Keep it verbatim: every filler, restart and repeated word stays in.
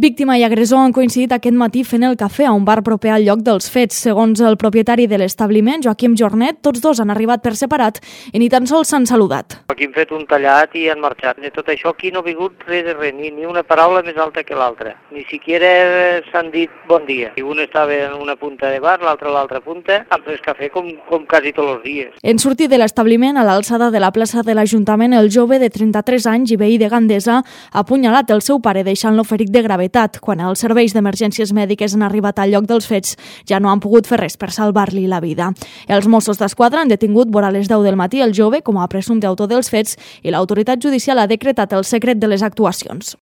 Víctima i agressor han coincidit aquest matí fent el cafè a un bar proper al lloc dels fets. Segons el propietari de l'establiment, Joaquim Jornet, tots dos han arribat per separat i ni tan sols s'han saludat. Aquí hem fet un tallat i han marxat. De tot això aquí no ha vingut res de res, ni, ni una paraula més alta que l'altra. Ni siquiera s'han dit bon dia. I un estava en una punta de bar, l'altre a l'altra punta, han pres cafè com, com quasi tots els dies. En sortir de l'establiment, a l'alçada de la plaça de l'Ajuntament, el jove de trenta-tres anys i veí de Gandesa ha apunyalat el seu pare deixant-lo ferit de gravetat. Quan els serveis d'emergències mèdiques han arribat al lloc dels fets, ja no han pogut fer res per salvar-li la vida. Els Mossos d'Esquadra han detingut vora les deu del matí el jove com a presumpte autor dels fets i l'autoritat judicial ha decretat el secret de les actuacions.